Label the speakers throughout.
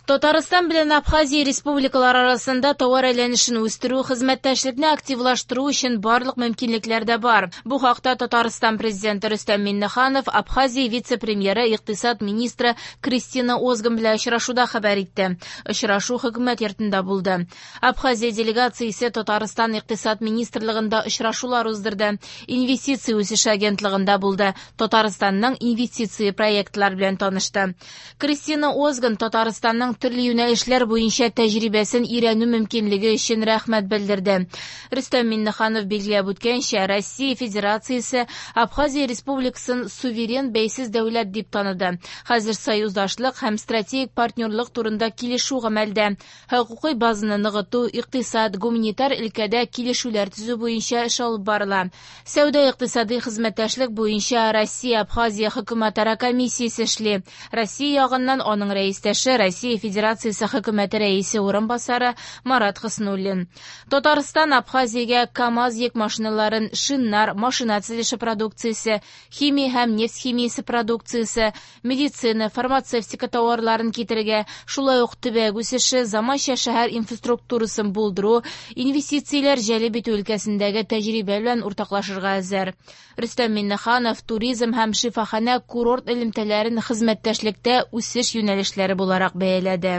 Speaker 1: Татарстан белән Абхазия республикалары арасында товар әйләнешен үстерү, хезмәттәшлекне активлаштыру өчен барлык мөмкинлекләр дә бар. Бу хакта Татарстан президенты Рөстәм Миңнеханов Абхазия вице-премьеры, икътисад министры Кристина Озган белән очрашуда хәбәр итте. Очрашу хөкүмәт йортында булды. Абхазия делегациясе Татарстан икътисад министрлыгында очрашулар уздырды. Инвестиция үсеше агентлыгында булды. Татарстанның инвестиция проектлары белән танышты. Кристина Озган Татарстанның төрле юнәлешләр буенча тәҗрибәсен өйрәнү мөмкинлеге өчен рәхмәт белдерде. Рөстәм Миңнеханов билгеләп үткәнчә, Россия Федерациясе Абхазия Республикасын суверен бәйсез дәүләт дип таныды. Хәзер союздашлык һәм стратегик партнерлык турында килешү гамәлдә. Хокукый базаны ныгыту, икътисад, гуманитар өлкәдә килешүләр төзү буенча эш алып барыла. Сәүдә-икътисади хезмәттәшлек буенча Россия-Абхазия хөкүмәтара комиссиясе эшли. Россия ягыннан аның рәистәше Россия Федерациясе хөкүмәте рәисе урынбасары Марат Хөснуллин. Татарстан Абхазиягә КАМАЗ йөк машиналарын, шиннар, машина төзелеше продукциясе, химия һәм нефть химиясе продукциясе, медицина, фармацевтика товарларын китерергә, шулай ук төбәк үсеше, заманча шәһәр инфраструктурасын булдыру, инвестицияләр җәлеп итү өлкәсендәге тәҗрибә белән уртаклашырга әзер. Рөстәм Миңнеханов туризм һәм шифаханә курорт элемтәләрен хезмәттәшлектә үсеш юнәлешләре буларак бәяләде.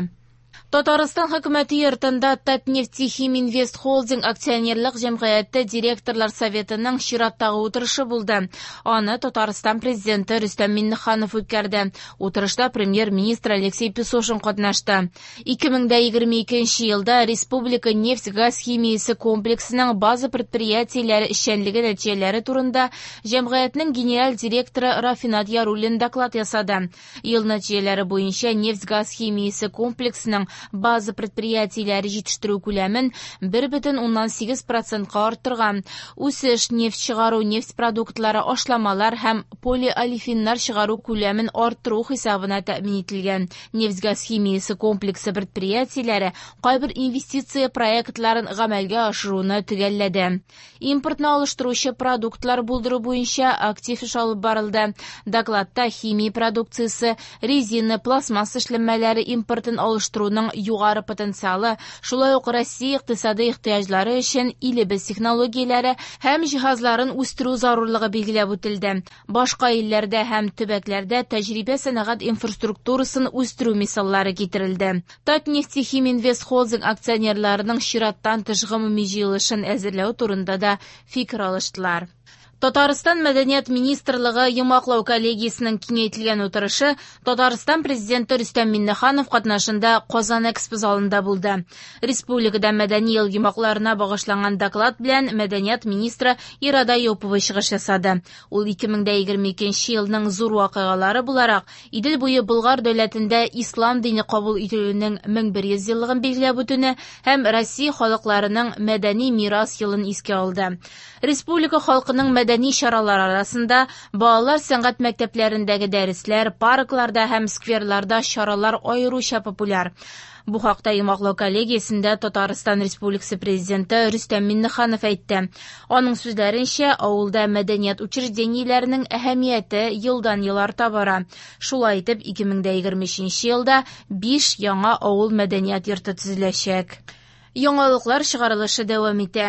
Speaker 1: Татарстан хөкүмәте йортында Татнефтехиминвест Холдинг акционерлык җәмгыяте директорлар советының чираттагы утырышы булды. Аны Татарстан президенты Рөстәм Миңнеханов үткәрде. Утырышта премьер-министр Алексей Песошин катнашты. 2022 елда республика нефть-газ химиясе комплексының база предприятиеләре эшчәнлеге нәтиҗәләре турында җәмгыятьнең генераль директоры Рафинат Яруллин доклад ясады. Ел нәтиҗәләре буенча нефть-газ химиясе комплексының база предприятиеләре җитештерү күләмен 1,8 процентка арттырган. Үсеш нефть чыгару, нефть продуктлары, ашламалар һәм полиолефиннар чыгару күләмен арттыру хисабына тәэмин ителгән. Нефть-газ химиясе комплексы предприятиеләре кайбер инвестиция проектларын гамәлгә ашыруны төгәлләде. Импортны алыштыручы продуктлар булдыру буенча актив эш алып барылды. Докладта химия продукциясе, резина, пластмасса эшләнмәләре импортын алыштыруның югары потенциалы, шулай ук Россия икътисады ихтыяҗлары өчен илебез технологияләре һәм җиһазларын үстерү зарурлыгы билгеләп үтелде. Башка илләрдә һәм төбәкләрдә тәҗрибә сәнәгать инфраструктурасын үстерү мисаллары китерелде. Татнефтехиминвест Холдинг акционерларының чираттан тыш гомуми җыелышын әзерләү турында да фикер алыштылар. Татарстан Мәдәният министрлыгы йомгаклау коллегиясенең киңәйтелгән утырышы Татарстан президенты Рөстәм Миңнеханов катнашында Казан Экспо залында булды. Республикада мәдәни ел йомгакларына багышланган доклад белән мәдәният министры Ирада Юпова чыгыш ясады. Ул 2022 елның зур вакыйгалары буларак Идел буе Болгар дәүләтендә ислам дине кабул ителүенең 1100 еллыгын билгеләп үтүне һәм Россия халыкларының мәдәни мирас елын искә алды. Республика халкының мәдәни чаралар арасында балалар сәнгать мәктәпләрендәге дәресләр, паркларда һәм скверларда чаралар аеруча популяр. Бу хакта йомгаклау коллегиясендә Татарстан Республикасы президенты Рөстәм Миңнеханов әйтте. Аның сүзләренчә, авылда мәдәният учреждениеләренең әһәмияте елдан-ел арта бара. Шулай итеп, 2023 елда 5 яңа авыл мәдәният йорты төзеләчәк. Яңалыклар чыгарылышы дәвам итә.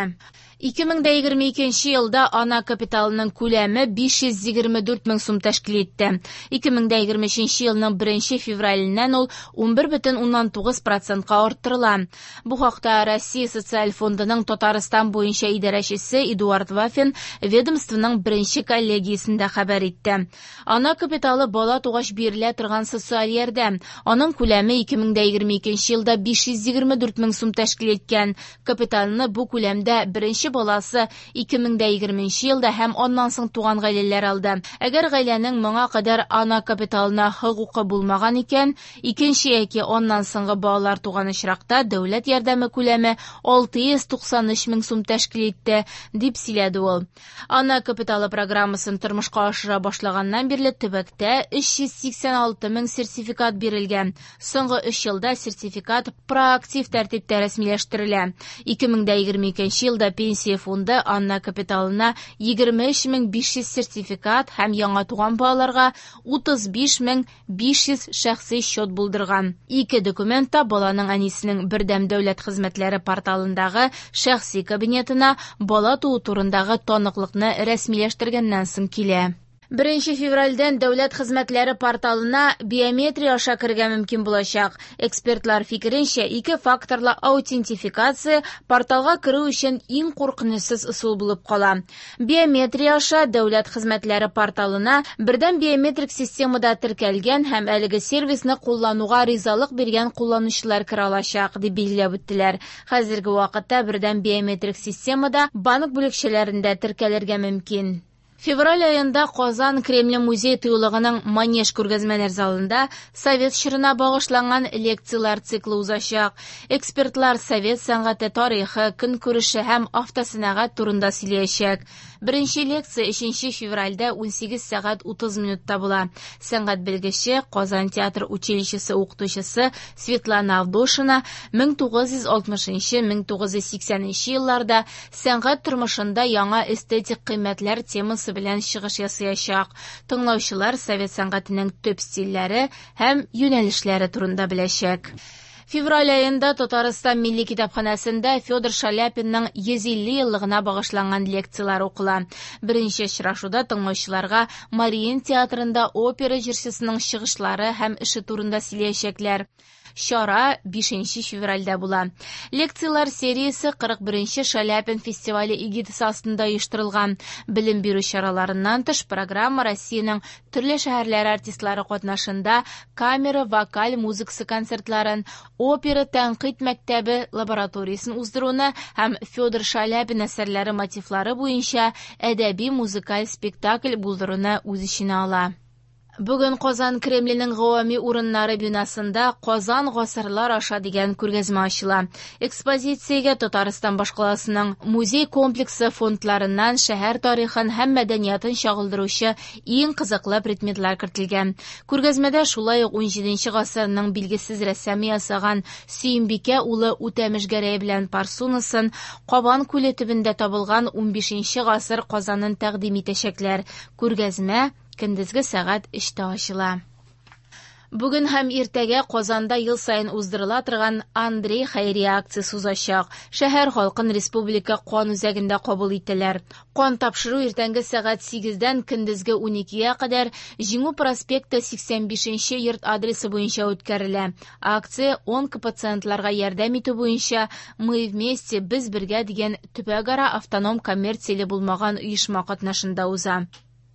Speaker 1: 2022 елда ана капиталының күләме 524 мең сум тәшкил итте. 2023 елның 1 февраленнән ул 11,9 процентка арттырыла. Бу хакта Россия социаль фондының Татарстан буенча идарәчесе Эдуард Вафин ведомствоның беренче коллегиясендә хәбәр итте. Ана капиталы бала тугач бирелә торган социаль ярдәм. Аның күләме 2022 елда 524 мең сум тәшкил иткән. Капиталны бу күләмдә беренче баласы 2020 елда һәм аннан соң туган гаиләләр алды. Әгәр гаиләнең моңа кадәр ана капиталына хокукы булмаган икән, икенче яки аннан соңгы балалар туган очракта дәүләт ярдәме күләме 693 мең сум тәшкил итте, дип сөйләде ул. Ана капиталы программасын тормышка ашыра башлаганнан бирле төбәктә 386 мең сертификат бирелгән. Соңгы 3 елда сертификат проактив тәртиптә рәсмиләштерелә. 2022 елда пенсия Пенсия фонды ана капиталына 23 500 сертификат һәм яңа туган балаларга 35 500 шәхси счет булдырган. Ике документ та баланың әнисенең Бердәм дәүләт хезмәтләре порталындагы шәхси кабинетына бала туу турындагы таныклыкны рәсмиләштергәннән соң килә. 1 февральдән дәүләт хезмәтләре порталына биометрия аша керергә мөмкин булачак. Экспертлар фикеренчә, ике факторлы аутентификация порталга керү өчен иң куркынычсыз ысул булып кала. Биометрия аша дәүләт хезмәтләре порталына бердәм биометрик системада теркәлгән һәм әлеге сервисны куллануга ризалык биргән кулланучылар керә алачак, дип билгеләп үттеләр. Хәзерге вакытта бердәм биометрик системада банк бүлекчәләрендә теркәлергә мөмкин. Февраль аенда Казан Кремле музей тыюлыгының Манеж күргәзмәләр залында совет чорына багышланган лекцияләр циклы узачак. Экспертлар совет сәнгате тарихы, көнкүреше һәм автосәнәгать турында сөйләячәк. Беренче лекция 3 февральдә 18 сәгать 30 минутта була. Сәнгать белгече, Казан театр училищесы укытучысы Светлана Авдошина 1960-1980 елларда сәнгать тормышында яңа эстетик кыйммәтләр темасы белән чыгыш ясаячак. Тыңлаучылар совет сәнгатенең төп стильләре һәм юнәлешләре турында беләчәк. Февраль аенда Татарстан Милли китапханәсендә Федор Шаляпинның 150 еллыгына багышланган лекцияләр укыла. Беренче очрашуда тыңлаучыларга Мариин театрында опера җырчысының чыгышлары һәм эше турында сөйләячәкләр. Чара 5 февральдә була. Лекцияләр сериясе 41 Шаляпин фестивале эгидасы астында оештырылган. Белем бирү чараларыннан тыш программа Россиянең төрле шәһәрләре артистлары катнашында камера вокаль музыкасы концертларын, опера тәнкыйть мәктәбе лабораториясен уздыруны һәм Федор Шаляпин әсәрләре мотивлары буенча әдәби музыкаль спектакль булдыруны үз эченә ала. Бүген Казан Кремленең гавами урыннары бинасында «Казан гасырлар аша» дигән күргәзмә ачыла. Экспозициягә Татарстан башкаласының музей комплексы фондларыннан шәһәр тарихын һәм мәдәниятын чагылдыручы иң кызыклы предметлар кертелгән. Күргәзмәдә шулай ук 17 гасырның билгесез рәссамы ясаган Сөембикә улы Үтәмеш Гәрәй белән парсунасын, Кабан күле төбендә табылган 15 гасыр казанын тәкъдим итәчәкләр. Күргәзмә көндезге сәгать 3тә ачыла. Бүген һәм иртәгә Казанда ел саен уздырыла торган Андрей хәйрия акциясе узачак. Шәһәр халкын Республика кан үзәгендә кабул итәләр. Кан тапшыру иртәнге сәгать 8дән көндезге 12гә кадәр Җиңү проспекты 85 йорт адресы буенча үткәрелә. Акция онкопациентларга ярдәм итү буенча «Мы вместе, без бергә» дигән төбәкара автоном коммерцияле булмаган оешма катнашында уза.